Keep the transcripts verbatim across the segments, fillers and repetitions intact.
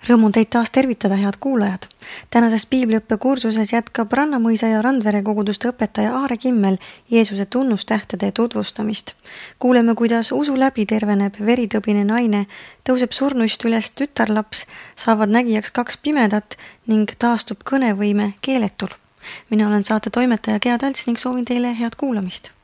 Rõõm on teid taas tervitada, head kuulajad. Tänases piibliõppe kursuses jätkab Rannamõisa ja Randvere koguduste õpetaja Aare Kimmel Jeesuse tunnustähtede tutvustamist. Kuuleme, kuidas usu läbi terveneb veritõbine naine, tõuseb surnuist üles tütarlaps, saavad nägijaks kaks pimedat ning taastub kõnevõime keeletul. Mina olen saate toimetaja Gea Talts ning soovin teile head kuulamist.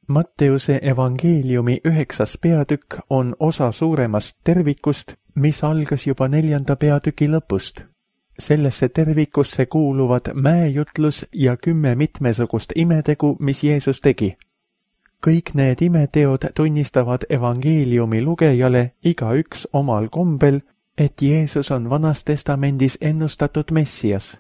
Matteuse evangeeliumi üheksas peatükk on osa suuremast tervikust, mis algas juba neljanda peatüki lõpust. Sellesse tervikusse kuuluvad mäejutlus ja kümme mitmesugust imetegu, mis Jeesus tegi. Kõik need imeteod tunnistavad evangeeliumi lugejale igaüks omal kombel, et Jeesus on Vanas Testamendis ennustatud Messias.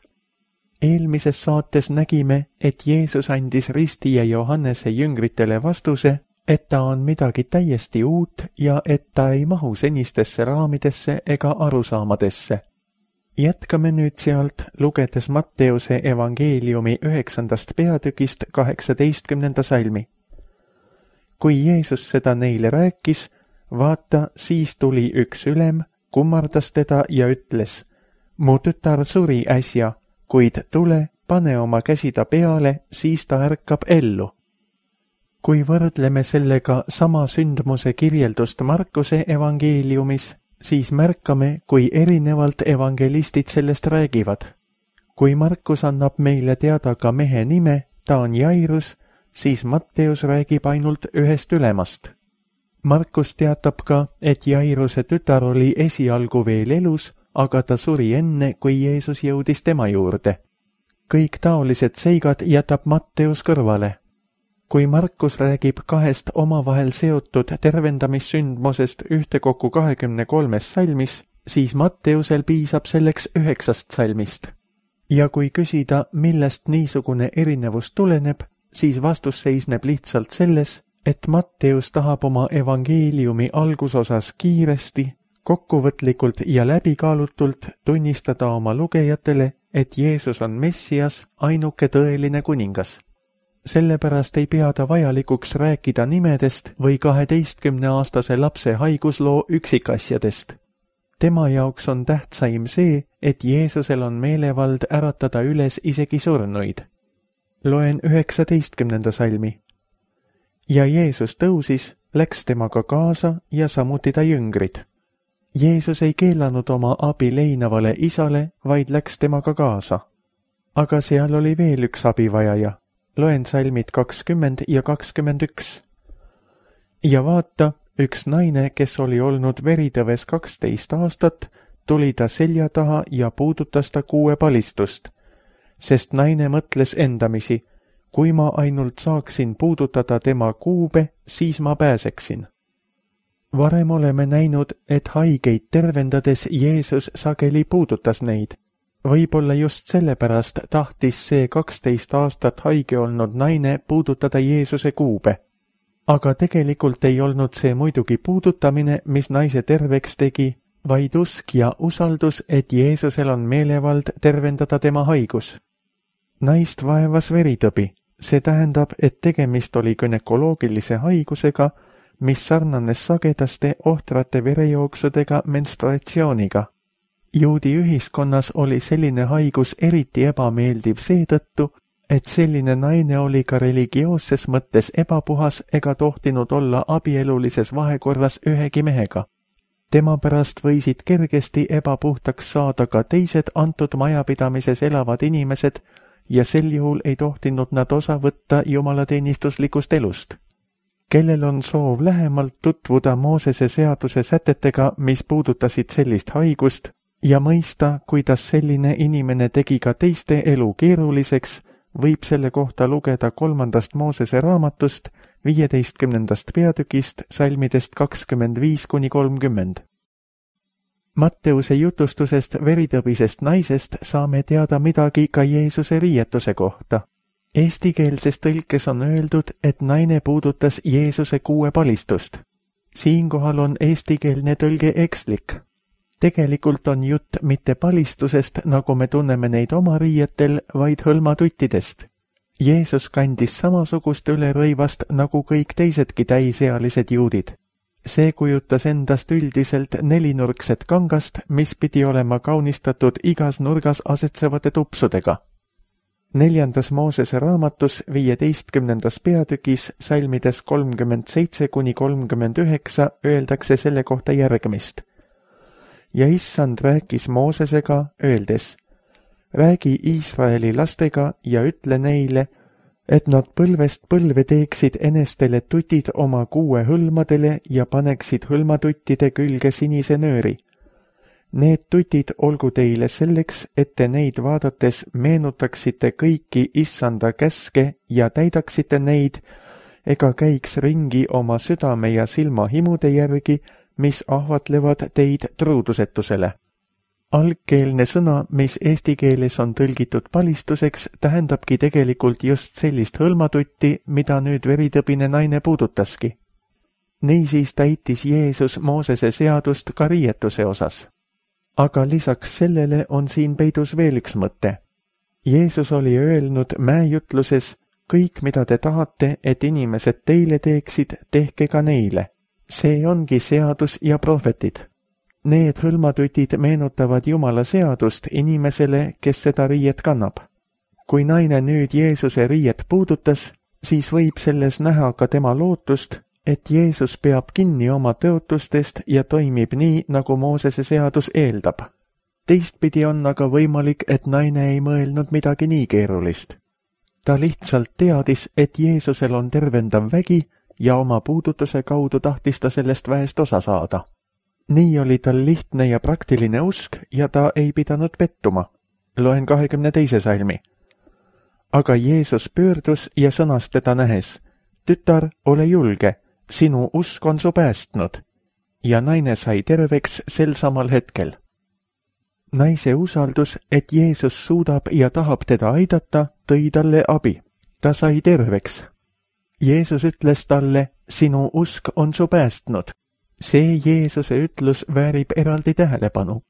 Eelmises saates nägime, et Jeesus andis Risti ja Johannese jüngritele vastuse, et ta on midagi täiesti uut ja et ta ei mahu senistesse raamidesse ega arusaamadesse. Jätkame nüüd sealt, lugedes Matteuse evangeeliumi üheksandast peatükist kaheksateistkümnenda salmi. Kui Jeesus seda neile rääkis, vaata, siis tuli üks ülem, kummardas teda ja ütles, mu tütar suri äsja, kuid tule, pane oma käsi ta peale, siis ta ärkab ellu. Kui võrdleme sellega sama sündmuse kirjeldust Markuse evangeeliumis, siis märkame, kui erinevalt evangelistid sellest räägivad. Kui Markus annab meile teada ka mehe nime, ta on Jairus, siis Matteus räägib ainult ühest ülemast. Markus teatab ka, et Jairuse tütar oli esialgu veel elus, aga ta suri enne, kui Jeesus jõudis tema juurde. Kõik taolised seigad jätab Matteus kõrvale. Kui Markus räägib kahest omavahel seotud tervendamissündmusest ühtekokku kahekümne kolmes salmis, siis Matteusel piisab selleks üheksast salmist. Ja kui küsida, millest niisugune erinevus tuleneb, siis vastus seisneb lihtsalt selles, et Matteus tahab oma evangeeliumi algusosas kiiresti, kokkuvõtlikult ja läbikaalutult tunnistada oma lugejatele, et Jeesus on Messias, ainuke tõeline kuningas. Sellepärast ei pea ta vajalikuks rääkida nimedest või kaheteistkümneaastase lapse haigusloo üksikasjadest. Tema jaoks on tähtsaim see, et Jeesusel on meelevald äratada üles isegi surnuid. Loen üheksateistkümnenda salmi. Ja Jeesus tõusis, läks temaga kaasa ja samuti ta jüngrid. Jeesus ei keelanud oma abi leinavale isale, vaid läks temaga kaasa. Aga seal oli veel üks abivajaja. Loen salmid kakskümmend ja kakskümmend üks. Ja vaata, üks naine, kes oli olnud veritõves kaksteist aastat, tuli ta selja taha ja puudutas ta kuue palistust. Sest naine mõtles endamisi, kui ma ainult saaksin puudutada tema kuube, siis ma pääseksin. Varem oleme näinud, et haigeid tervendades Jeesus sageli puudutas neid. Võib-olla just sellepärast tahtis see kaksteist aastat haige olnud naine puudutada Jeesuse kuube. Aga tegelikult ei olnud see muidugi puudutamine, mis naise terveks tegi, vaid usk ja usaldus, et Jeesusel on meelevald tervendada tema haigus. Naist vaevas veritõbi. See tähendab, et tegemist oli günekoloogilise haigusega, mis sarnanes sagedaste ohtrate verejooksudega menstruatsiooniga. Juudi ühiskonnas oli selline haigus eriti ebameeldiv seetõttu, et selline naine oli ka religioosses mõttes ebapuhas ega tohtinud olla abielulises vahekorras ühegi mehega. Tema pärast võisid kergesti ebapuhtaks saada ka teised antud majapidamises elavad inimesed ja sel juhul ei tohtinud nad osa võtta jumalateenistuslikust elust. Kellel on soov lähemalt tutvuda Moosese seaduse sätetega, mis puudutasid sellist haigust, ja mõista, kuidas selline inimene tegi ka teiste elu keeruliseks, võib selle kohta lugeda kolmandast Moosese raamatust, viieteistkümnendast peatükist, salmidest kakskümmend viis kuni kolmkümmend. Matteuse jutustusest veritõbisest naisest saame teada midagi ka Jeesuse riietuse kohta. Eestikeelses tõlkes on öeldud, et naine puudutas Jeesuse kuue palistust. Siinkohal on eestikeelne tõlge ekslik. Tegelikult on jutt mitte palistusest, nagu me tunneme neid oma riietel, vaid hõlmatuttidest. Jeesus kandis samasugust ülerõivast nagu kõik teisedki täisealised juudid. See kujutas endast üldiselt nelinurkset kangast, mis pidi olema kaunistatud igas nurgas asetsevate tupsudega. Neljandas Moosese raamatus viieteistkümnendas peatükis salmides kolmkümmend seitse kuni kolmkümmend üheksa öeldakse selle kohta järgmist. Ja issand rääkis Moosesega, öeldes, räägi Iisraeli lastega ja ütle neile, et nad põlvest põlve teeksid enestele tutid oma kuue hõlmadele ja paneksid hõlmatuttide külge sinise nööri. Need tutid olgu teile selleks, et te neid vaadates meenutaksite kõiki issanda käske ja täidaksite neid, ega käiks ringi oma südame ja silmahimude järgi, mis ahvatlevad teid truudusetusele. Algkeelne sõna, mis eesti keeles on tõlgitud palistuseks, tähendabki tegelikult just sellist hõlmatutti, mida nüüd veritõbine naine puudutaski. Niisiis täitis Jeesus Moosese seadust ka riietuse osas. Aga lisaks sellele on siin peidus veel üks mõte. Jeesus oli öelnud mäejutluses, kõik mida te tahate, et inimesed teile teeksid, tehke ka neile. See ongi seadus ja prohvetid. Need hõlmatutid meenutavad Jumala seadust inimesele, kes seda riiet kannab. Kui naine nüüd Jeesuse riiet puudutas, siis võib selles näha ka tema lootust, et Jeesus peab kinni oma tõotustest ja toimib nii, nagu Moosese seadus eeldab. Teistpidi on aga võimalik, et naine ei mõelnud midagi nii keerulist. Ta lihtsalt teadis, et Jeesusel on tervendav vägi ja oma puudutuse kaudu tahtis ta sellest väest osa saada. Nii oli tal lihtne ja praktiline usk ja ta ei pidanud pettuma. Loen kahekümne teise salmi. Aga Jeesus pöördus ja sõnas teda nähes, tütar, ole julge, sinu usk on su päästnud. Ja naine sai terveks sel samal hetkel. Naise usaldus, et Jeesus suudab ja tahab teda aidata, tõi talle abi. Ta sai terveks. Jeesus ütles talle, sinu usk on su päästnud. See Jeesuse ütlus väärib eraldi tähelepanu.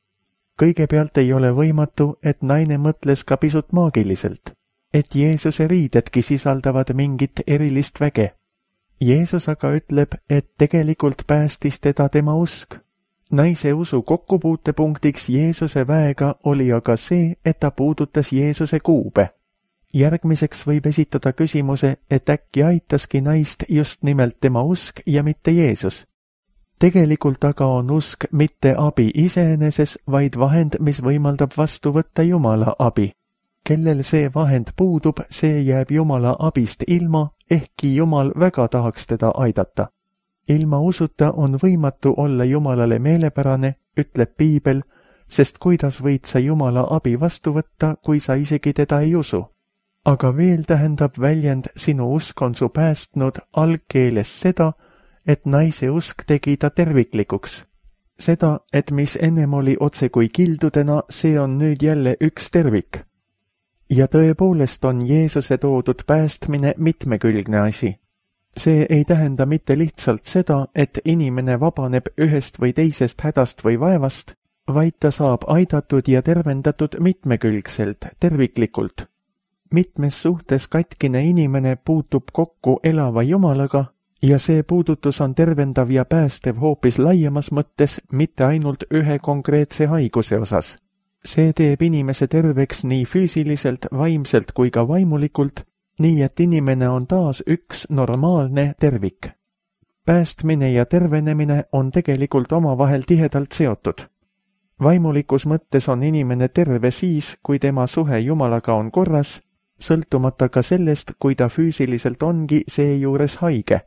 Kõigepealt ei ole võimatu, et naine mõtles ka pisut maagiliselt, et Jeesuse riidedki sisaldavad mingit erilist väge. Jeesus aga ütleb, et tegelikult päästis teda tema usk. Naise usu kokkupuutepunktiks Jeesuse väega oli aga see, et ta puudutas Jeesuse kuube. Järgmiseks võib esitada küsimuse, et äkki aitaski naist just nimelt tema usk ja mitte Jeesus. Tegelikult aga on usk mitte abi iseeneses, vaid vahend, mis võimaldab vastu võtta Jumala abi. Kellel see vahend puudub, see jääb Jumala abist ilma, ehkki Jumal väga tahaks teda aidata. Ilma usuta on võimatu olla Jumalale meelepärane, ütleb Piibel, sest kuidas võid sa Jumala abi vastu võtta, kui sa isegi teda ei usu? Aga veel tähendab väljend sinu usk on su päästnud algkeeles seda, et naise usk tegi ta terviklikuks. Seda, et mis ennem oli otse kui kildudena, see on nüüd jälle üks tervik. Ja tõepoolest on Jeesuse toodud päästmine mitmekülgne asi. See ei tähenda mitte lihtsalt seda, et inimene vabaneb ühest või teisest hädast või vaevast, vaid ta saab aidatud ja tervendatud mitmekülgselt, terviklikult. Mitmes suhtes katkine inimene puutub kokku elava Jumalaga, ja see puudutus on tervendav ja päästev hoopis laiemas mõttes, mitte ainult ühe konkreetse haiguse osas. See teeb inimese terveks nii füüsiliselt, vaimselt kui ka vaimulikult, nii et inimene on taas üks normaalne tervik. Päästmine ja tervenemine on tegelikult omavahel tihedalt seotud. Vaimulikus mõttes on inimene terve siis, kui tema suhe Jumalaga on korras, sõltumata ka sellest, kui ta füüsiliselt ongi seejuures haige.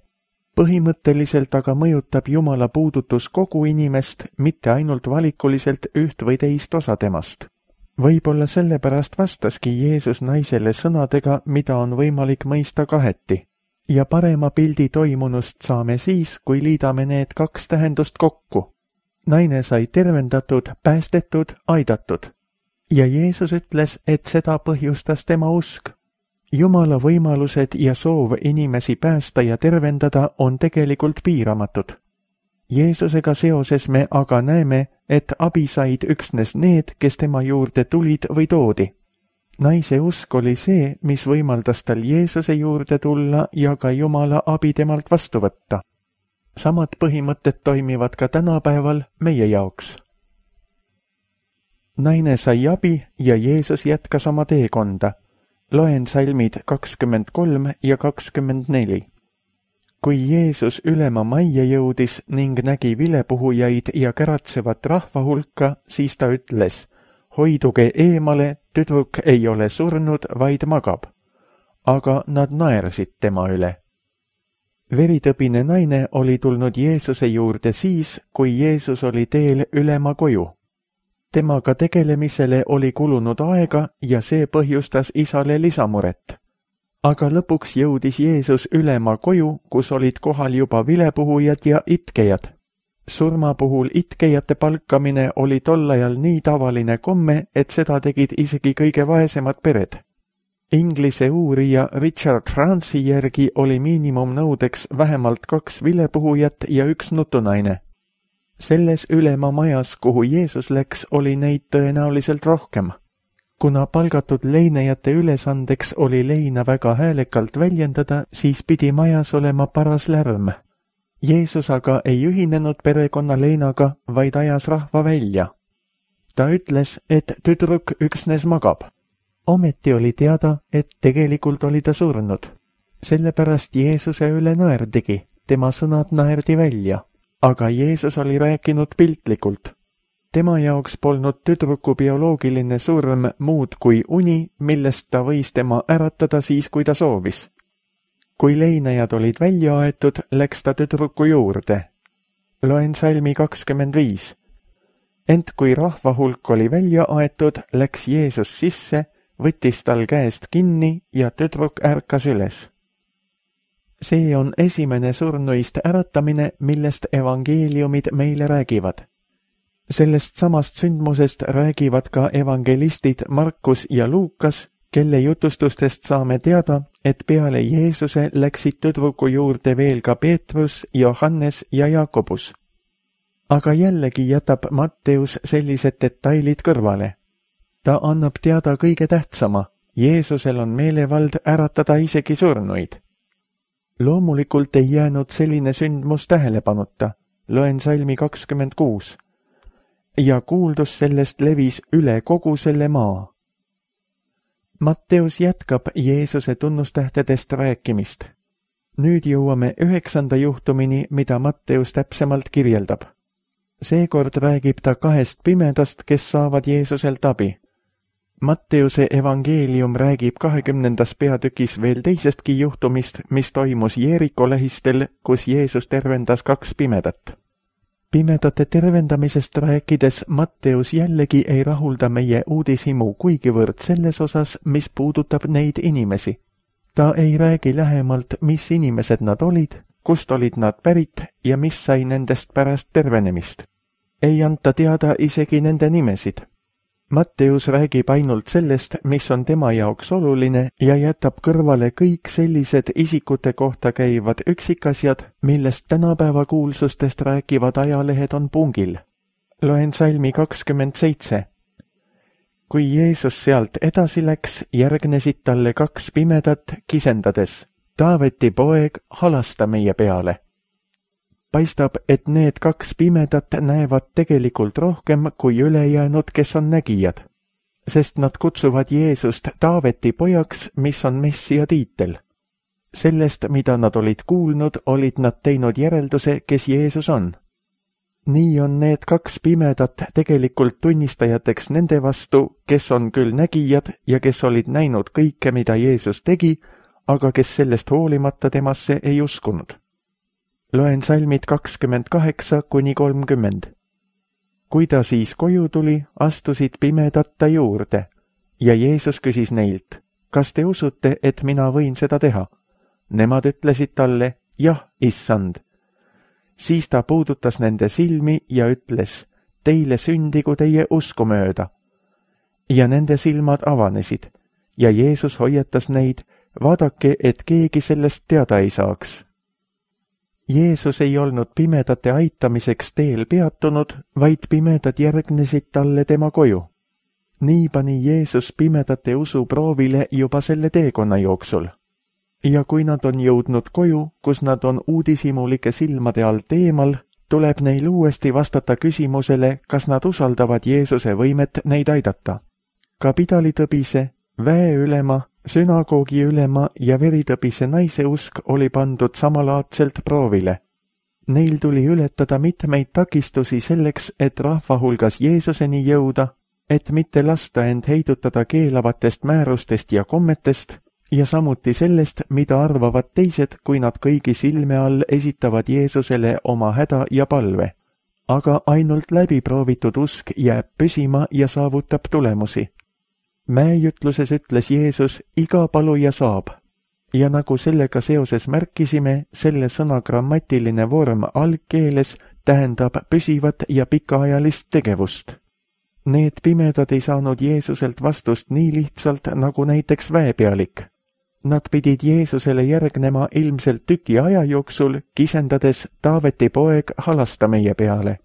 Põhimõtteliselt aga mõjutab Jumala puudutus kogu inimest, mitte ainult valikuliselt üht või teist osa temast. Võib-olla sellepärast vastaski Jeesus naisele sõnadega, mida on võimalik mõista kaheti. Ja parema pildi toimunust saame siis, kui liidame need kaks tähendust kokku. Naine sai tervendatud, päästetud, aidatud. Ja Jeesus ütles, et seda põhjustas tema usk. Jumala võimalused ja soov inimesi päästa ja tervendada on tegelikult piiramatud. Jeesusega seoses me aga näeme, et abi said üksnes need, kes tema juurde tulid või toodi. Naise usk oli see, mis võimaldas tal Jeesuse juurde tulla ja ka Jumala abi temalt vastu võtta. Samad põhimõtted toimivad ka tänapäeval meie jaoks. Naine sai abi ja Jeesus jätkas oma teekonda. Loen salmid kakskümmend kolm ja kakskümmend neli. Kui Jeesus ülema majja jõudis ning nägi vilepuhujaid ja käratsevat rahva hulka, siis ta ütles, hoiduge eemale, tüdruk ei ole surnud, vaid magab. Aga nad naersid tema üle. Veritõbine naine oli tulnud Jeesuse juurde siis, kui Jeesus oli teel ülema koju. Temaga tegelemisele oli kulunud aega ja see põhjustas isale lisamuret. Aga lõpuks jõudis Jeesus ülema koju, kus olid kohal juba vilepuhujad ja itkejad. Surma puhul itkejate palkamine oli tol ajal nii tavaline komme, et seda tegid isegi kõige vaesemad pered. Inglise uurija Richard Franci järgi oli miinimumnõudeks vähemalt kaks vilepuhujat ja üks nutunaine. Selles ülema majas, kuhu Jeesus läks, oli neid tõenäoliselt rohkem. Kuna palgatud leinejate ülesandeks oli leina väga häälekalt väljendada, siis pidi majas olema paras lärm. Jeesus aga ei ühinenud perekonna leinaga, vaid ajas rahva välja. Ta ütles, et tüdruk üksnes magab. Ometi oli teada, et tegelikult oli ta surnud. Sellepärast Jeesuse üle naerdigi, tema sõnad naerdi välja. Aga Jeesus oli rääkinud piltlikult. Tema jaoks polnud tüdruku bioloogiline surm muud kui uni, millest ta võis tema äratada siis, kui ta soovis. Kui leinajad olid välja aetud, läks ta tüdruku juurde. Loen salmi kakskümmend viis. Ent kui rahva hulk oli välja aetud, läks Jeesus sisse, võttis tal käest kinni ja tüdruk ärkas üles. See on esimene surnuist äratamine, millest evangeeliumid meile räägivad. Sellest samast sündmusest räägivad ka evangelistid Markus ja Luukas, kelle jutustustest saame teada, et peale Jeesuse läksid tüdruku juurde veel ka Peetrus, Johannes ja Jakobus. Aga jällegi jätab Matteus sellised detailid kõrvale. Ta annab teada kõige tähtsama, Jeesusel on meelevald äratada isegi surnuid. Loomulikult ei jäänud selline sündmus tähelepanuta. Loen salmi kakskümmend kuus. Ja kuuldus sellest levis üle kogu selle maa. Matteus jätkab Jeesuse tunnustähtedest rääkimist. Nüüd jõuame üheksanda juhtumini, mida Matteus täpsemalt kirjeldab. Seekord räägib ta kahest pimedast, kes saavad Jeesuselt abi. Matteuse evangeelium räägib kahekümnendas peatükis veel teisestki juhtumist, mis toimus Jeeriko lähistel, kus Jeesus tervendas kaks pimedat. Pimedate tervendamisest rääkides Matteus jällegi ei rahulda meie uudishimu kuigivõrd selles osas, mis puudutab neid inimesi. Ta ei räägi lähemalt, mis inimesed nad olid, kust olid nad pärit ja mis sai nendest pärast tervenemist. Ei anta teada isegi nende nimesid. Matteus räägib ainult sellest, mis on tema jaoks oluline ja jätab kõrvale kõik sellised isikute kohta käivad üksikasjad, millest tänapäeva kuulsustest rääkivad ajalehed on pungil. Loen salmi kakskümmend seitse. Kui Jeesus sealt edasi läks, järgnesid talle kaks pimedat kisendades. Taaveti poeg, halasta meie peale. Paistab, et need kaks pimedat näevad tegelikult rohkem kui ülejäänud, kes on nägijad, sest nad kutsuvad Jeesust Taaveti pojaks, mis on Messia tiitel. Sellest, mida nad olid kuulnud, olid nad teinud järelduse, kes Jeesus on. Nii on need kaks pimedat tegelikult tunnistajateks nende vastu, kes on küll nägijad ja kes olid näinud kõike, mida Jeesus tegi, aga kes sellest hoolimata temasse ei uskunud. Loen salmid kakskümmend kaheksa kuni kolmkümmend. Kui ta siis koju tuli, astusid pimedad ta juurde ja Jeesus küsis neilt, kas te usute, et mina võin seda teha? Nemad ütlesid talle, jah, issand. Siis ta puudutas nende silmi ja ütles, teile sündigu teie usku mööda. Ja nende silmad avanesid ja Jeesus hoiatas neid, vaadake, et keegi sellest teada ei saaks. Jeesus ei olnud pimedate aitamiseks teel peatunud, vaid pimedad järgnesid talle tema koju. Nii pani Jeesus pimedate usu proovile juba selle teekonna jooksul. ja kui nad on jõudnud koju, kus nad on uudishimulike silmade all teemal, tuleb neil uuesti vastata küsimusele, kas nad usaldavad Jeesuse võimet neid aidata. Kapitalitõbise, väeülema, sünagoogi ülema ja veritõbise naise usk oli pandud samalaadselt proovile. Neil tuli ületada mitmeid takistusi selleks, et rahva hulgas Jeesuseni jõuda, et mitte lasta end heidutada keelavatest määrustest ja kommetest ja samuti sellest, mida arvavad teised, kui nad kõigi silme all esitavad Jeesusele oma häda ja palve. Aga ainult läbiproovitud usk jääb püsima ja saavutab tulemusi. Mäejutluses ütles Jeesus, iga paluja saab. Ja nagu sellega seoses märkisime, selle sõna grammatiline vorm algkeeles tähendab püsivat ja pikaajalist tegevust. Need pimedad ei saanud Jeesuselt vastust nii lihtsalt nagu näiteks väepealik. Nad pidid Jeesusele järgnema ilmselt tüki aja jooksul, kisendades Taaveti poeg halasta meie peale.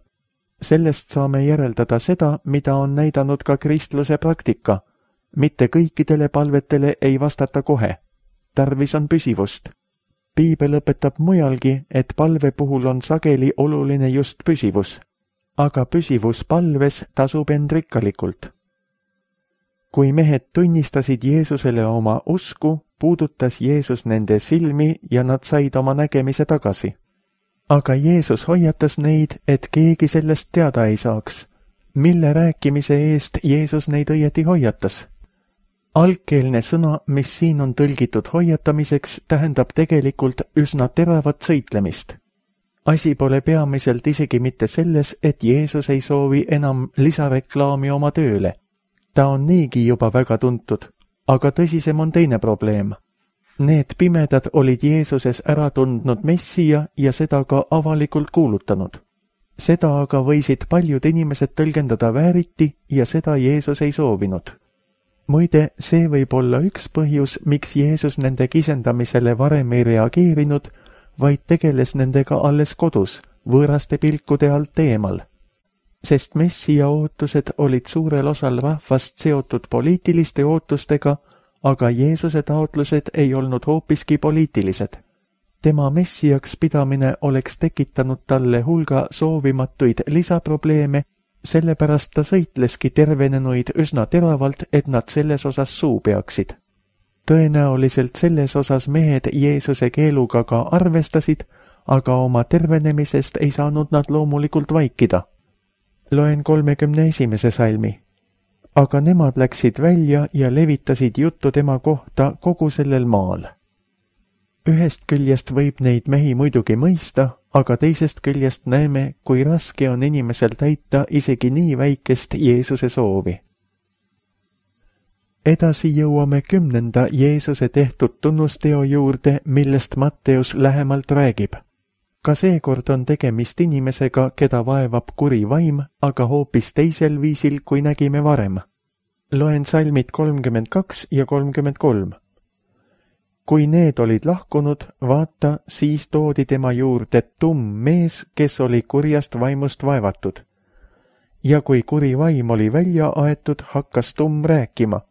Sellest saame järeldada seda, mida on näidanud ka kristluse praktika. Mitte kõikidele palvetele ei vastata kohe. Tarvis on püsivust. Piibel õpetab mujalgi, et palve puhul on sageli oluline just püsivus. Aga püsivus palves tasub end rikkalikult. Kui mehed tunnistasid Jeesusele oma usku, puudutas Jeesus nende silmi ja nad said oma nägemise tagasi. Aga Jeesus hoiatas neid, et keegi sellest teada ei saaks. Mille rääkimise eest Jeesus neid õieti hoiatas? Algkeelne sõna, mis siin on tõlgitud hoiatamiseks, tähendab tegelikult üsna teravat sõitlemist. Asi pole peamiselt isegi mitte selles, et Jeesus ei soovi enam lisareklaami oma tööle. Ta on niigi juba väga tuntud, aga tõsisem on teine probleem. Need pimedad olid Jeesuses ära tundnud Messija ja seda ka avalikult kuulutanud. Seda aga võisid paljud inimesed tõlgendada vääriti ja seda Jeesus ei soovinud. Muide, see võib olla üks põhjus, miks Jeesus nende kisendamisele varem ei reageerinud, vaid tegeles nendega alles kodus, võõraste pilkude alt eemal. Sest Messija ootused olid suurel osal rahvast seotud poliitiliste ootustega, aga Jeesuse taotlused ei olnud hoopiski poliitilised. Tema Messijaks pidamine oleks tekitanud talle hulga soovimatuid lisaprobleeme, sellepärast ta sõitleski tervenenuid üsna teravalt, et nad selles osas suu peaksid. Tõenäoliselt selles osas mehed Jeesuse keeluga ka arvestasid, aga oma tervenemisest ei saanud nad loomulikult vaikida. Loen kolmekümne esimese salmi. Aga nemad läksid välja ja levitasid juttu tema kohta kogu sellel maal. Ühest küljest võib neid mehi muidugi mõista, aga teisest küljest näeme, kui raske on inimesel täita isegi nii väikest Jeesuse soovi. Edasi jõuame kümnenda Jeesuse tehtud tunnusteo juurde, millest Matteus lähemalt räägib. Ka seekord on tegemist inimesega, keda vaevab kuri vaim, aga hoopis teisel viisil, kui nägime varem. Loen salmid kolmkümmend kaks ja kolmkümmend kolm. Kui need olid lahkunud, vaata, siis toodi tema juurde tumm mees, kes oli kurjast vaimust vaevatud. Ja kui kuri vaim oli välja aetud, hakkas tumm rääkima.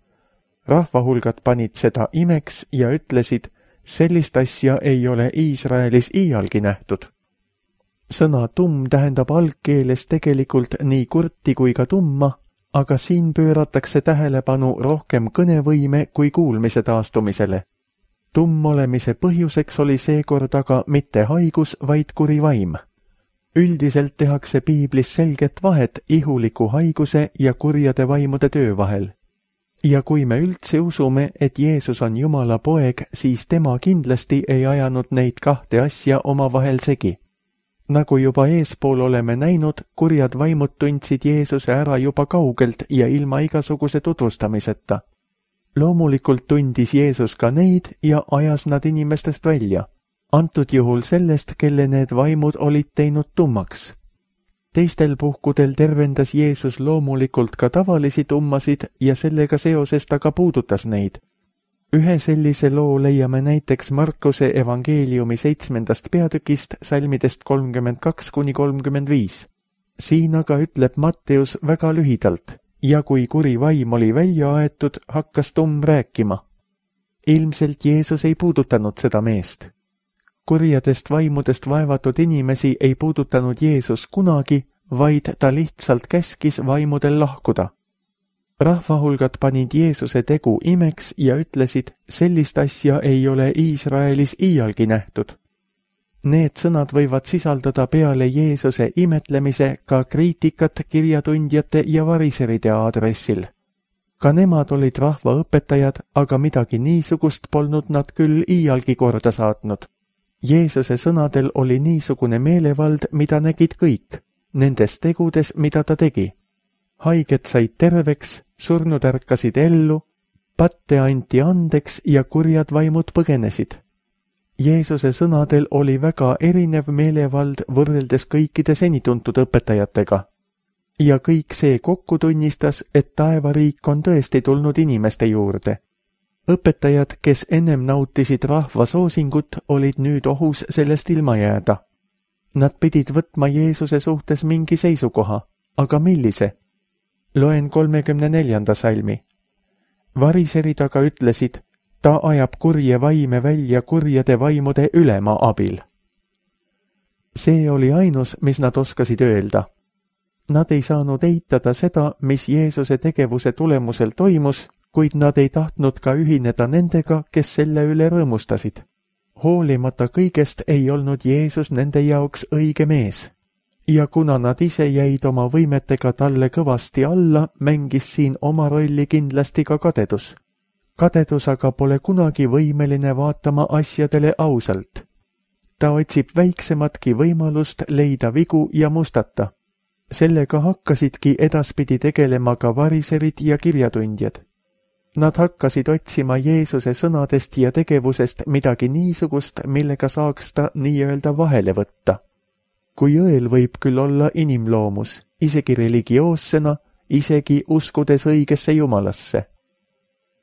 Rahvahulgad panid seda imeks ja ütlesid, sellist asja ei ole Iisraelis iialgi nähtud. Sõna tumm tähendab algkeeles tegelikult nii kurti kui ka tumma, aga siin pööratakse tähelepanu rohkem kõnevõime kui kuulmise taastumisele. Tumm olemise põhjuseks oli seekord aga mitte haigus, vaid kuri vaim. Üldiselt tehakse piiblis selget vahet ihuliku haiguse ja kurjade vaimude töö vahel. Ja kui me üldse usume, et Jeesus on Jumala poeg, siis tema kindlasti ei ajanud neid kahte asja omavahel segi. Nagu juba eespool oleme näinud, kurjad vaimud tundsid Jeesuse ära juba kaugelt ja ilma igasuguse tutvustamiseta. Loomulikult tundis Jeesus ka neid ja ajas nad inimestest välja. Antud juhul sellest, kelle need vaimud olid teinud tummaks. Teistel puhkudel tervendas Jeesus loomulikult ka tavalisi tummasid ja sellega seoses ta ka puudutas neid. Ühe sellise loo leiame näiteks Markuse evangeeliumi seitsmendast peatükist salmidest kolmkümmend kaks kuni kolmkümmend viis. Siin aga ütleb Matteus väga lühidalt, ja kui kuri vaim oli välja aetud, hakkas tumm rääkima. ilmselt Jeesus ei puudutanud seda meest. Kurjadest vaimudest vaevatud inimesi ei puudutanud Jeesus kunagi, vaid ta lihtsalt käskis vaimudel lahkuda. Rahvahulgad panid Jeesuse tegu imeks ja ütlesid, sellist asja ei ole Iisraelis iialgi nähtud. Need sõnad võivad sisaldada peale Jeesuse imetlemise ka kriitikat kirjatundjate ja variseride aadressil. Ka nemad olid rahvaõpetajad, aga midagi niisugust polnud nad küll iialgi korda saatnud. Jeesuse sõnadel oli niisugune meelevald, mida nägid kõik, nendes tegudes, mida ta tegi. Haiged said terveks, surnud ärkasid ellu, patte anti andeks ja kurjad vaimud põgenesid. Jeesuse sõnadel oli väga erinev meelevald võrreldes kõikide senituntud õpetajatega. Ja kõik see kokku tunnistas, et taevariik on tõesti tulnud inimeste juurde. Õpetajad, kes ennem nautisid rahva soosingut, olid nüüd ohus sellest ilma jääda. Nad pidid võtma Jeesuse suhtes mingi seisukoha, aga millise? Loen kolmekümne neljanda salmi. Variserid aga ütlesid, ta ajab kurje vaime välja kurjade vaimude ülema abil. See oli ainus, mis nad oskasid öelda. Nad ei saanud eitada seda, mis Jeesuse tegevuse tulemusel toimus, kuid nad ei tahtnud ka ühineda nendega, kes selle üle rõõmustasid. Hoolimata kõigest ei olnud Jeesus nende jaoks õige mees. Ja kuna nad ise jäid oma võimetega talle kõvasti alla, mängis siin oma rolli kindlasti ka kadedus. Kadedus aga pole kunagi võimeline vaatama asjadele ausalt. Ta otsib väiksematki võimalust leida vigu ja mustata. Sellega hakkasidki edaspidi tegelema ka variserid ja kirjatundjad. Nad hakkasid otsima Jeesuse sõnadest ja tegevusest midagi niisugust, millega saaks ta nii-öelda vahele võtta. Kui õel võib küll olla inimloomus, isegi religioossena, isegi uskudes õigesse Jumalasse.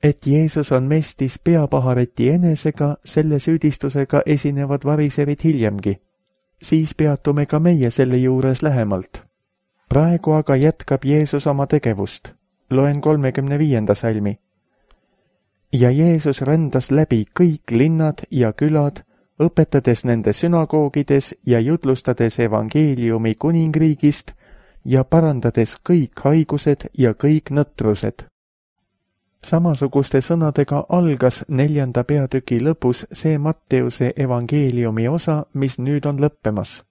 Et Jeesus on mestis peapahareti enesega, selle süüdistusega esinevad variserid hiljemgi. Siis peatume ka meie selle juures lähemalt. Praegu aga jätkab Jeesus oma tegevust. Loen kolmekümne viienda salmi. Ja Jeesus rändas läbi kõik linnad ja külad, õpetades nende sünagoogides ja jutlustades evangeeliumi kuningriigist ja parandades kõik haigused ja kõik nõtrused. Samasuguste sõnadega algas neljanda peatüki lõpus see Matteuse evangeeliumi osa, mis nüüd on lõppemas.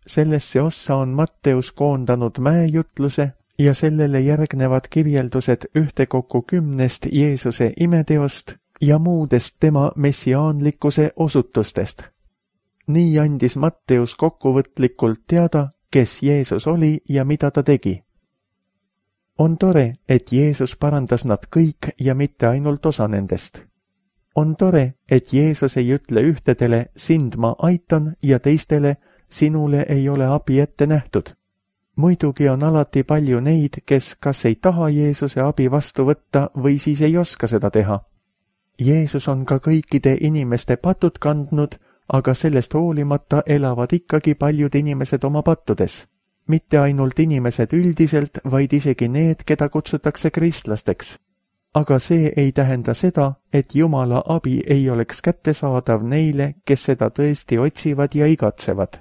Sellesse ossa on Matteus koondanud mäejutluse ja sellele järgnevad kirjeldused ühtekokku kümnest Jeesuse imeteost ja muudest tema messiaanlikkuse osutustest. Nii andis Matteus kokkuvõtlikult teada, kes Jeesus oli ja mida ta tegi. On tore, et Jeesus parandas nad kõik ja mitte ainult osa nendest. On tore, et Jeesus ei ütle ühtedele, sind ma aitan ja teistele, sinule ei ole abi ette nähtud. Muidugi on alati palju neid, kes kas ei taha Jeesuse abi vastu võtta või siis ei oska seda teha. Jeesus on ka kõikide inimeste patud kandnud, aga sellest hoolimata elavad ikkagi paljud inimesed oma pattudes. Mitte ainult inimesed üldiselt, vaid isegi need, keda kutsutakse kristlasteks. Aga see ei tähenda seda, et Jumala abi ei oleks kättesaadav neile, kes seda tõesti otsivad ja igatsevad.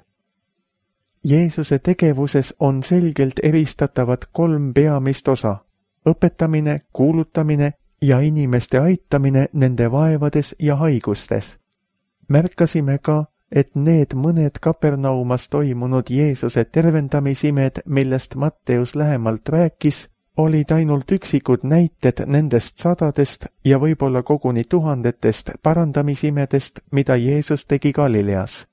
Jeesuse tegevuses on selgelt eristatavad kolm peamist osa: õpetamine, kuulutamine ja inimeste aitamine nende vaevades ja haigustes. Märkasime ka, et need mõned Kapernaumas toimunud Jeesuse tervendamisimed, millest Matteus lähemalt rääkis, olid ainult üksikud näited nendest sadadest ja võib-olla koguni tuhandetest parandamisimedest, mida Jeesus tegi Galileas.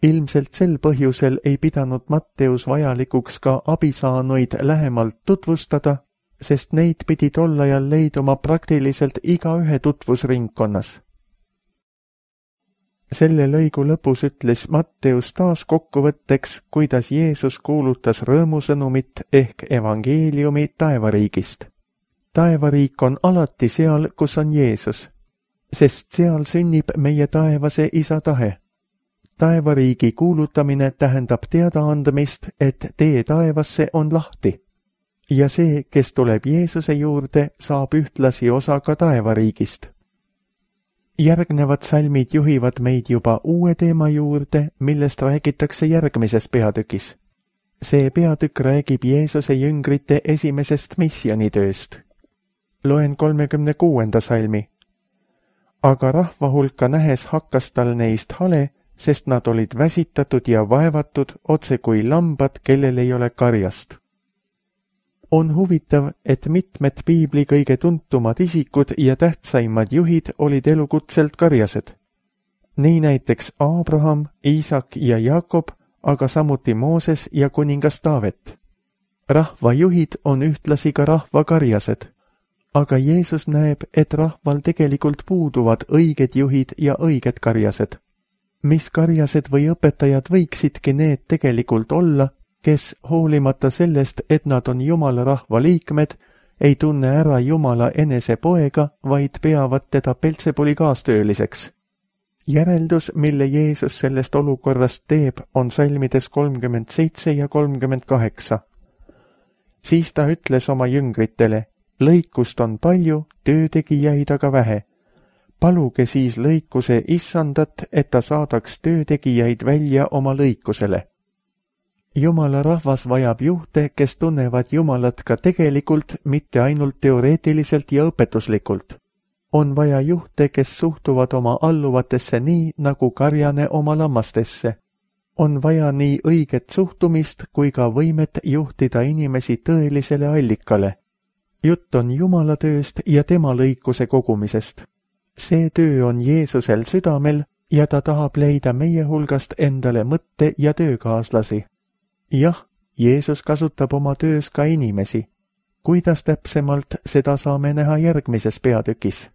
Ilmselt sel põhjusel ei pidanud Matteus vajalikuks ka abisaanuid lähemalt tutvustada, sest neid pidi tol ajal leiduma praktiliselt igaühe tutvusringkonnas. Selle lõigu lõpus ütles Matteus taas kokkuvõtteks, kuidas Jeesus kuulutas rõõmusõnumit ehk evangeeliumi taevariigist. Taevariik on alati seal, kus on Jeesus, sest seal sünnib meie taevase isa tahe. Taevariigi kuulutamine tähendab teadaandmist, et tee taevasse on lahti. Ja see, kes tuleb Jeesuse juurde, saab ühtlasi osa ka taevariigist. Järgnevad salmid juhivad meid juba uue teema juurde, millest räägitakse järgmises peatükis. See peatükk räägib Jeesuse jüngrite esimesest missionitööst. Loen kolmekümne kuuenda salmi. Aga rahva hulka nähes hakkas tal neist hale, sest nad olid väsitatud ja vaevatud otse kui lambad, kellel ei ole karjast. On huvitav, et mitmed piibli kõige tuntumad isikud ja tähtsaimad juhid olid elukutselt karjased. Nii näiteks Abraham, Iisak ja Jakob, aga samuti Mooses ja kuningas Taavet. Rahvajuhid on ühtlasi ka rahva karjased, aga Jeesus näeb, et rahval tegelikult puuduvad õiged juhid ja õiged karjased. Mis karjased või õpetajad võiksidki need tegelikult olla, kes hoolimata sellest, et nad on Jumala rahva liikmed, ei tunne ära Jumala enese poega, vaid peavad teda Peltsebuli kaastööliseks. Järeldus, mille Jeesus sellest olukorrast teeb, on salmides kolmkümmend seitse ja kolmkümmend kaheksa. Siis ta ütles oma jüngritele, lõikust on palju, töötegijaid aga vähe. Paluge siis lõikuse issandat, et ta saadaks töötegijaid välja oma lõikusele. Jumala rahvas vajab juhte, kes tunnevad Jumalat ka tegelikult, mitte ainult teoreetiliselt ja õpetuslikult. On vaja juhte, kes suhtuvad oma alluvatesse nii, nagu karjane oma lammastesse. On vaja nii õiget suhtumist kui ka võimet juhtida inimesi tõelisele allikale. Jutt on Jumala tööst ja tema lõikuse kogumisest. See töö on Jeesusel südamel ja ta tahab leida meie hulgast endale mõtte- ja töökaaslasi. Jah, Jeesus kasutab oma töös ka inimesi. Kuidas täpsemalt, seda saame näha järgmises peatükis.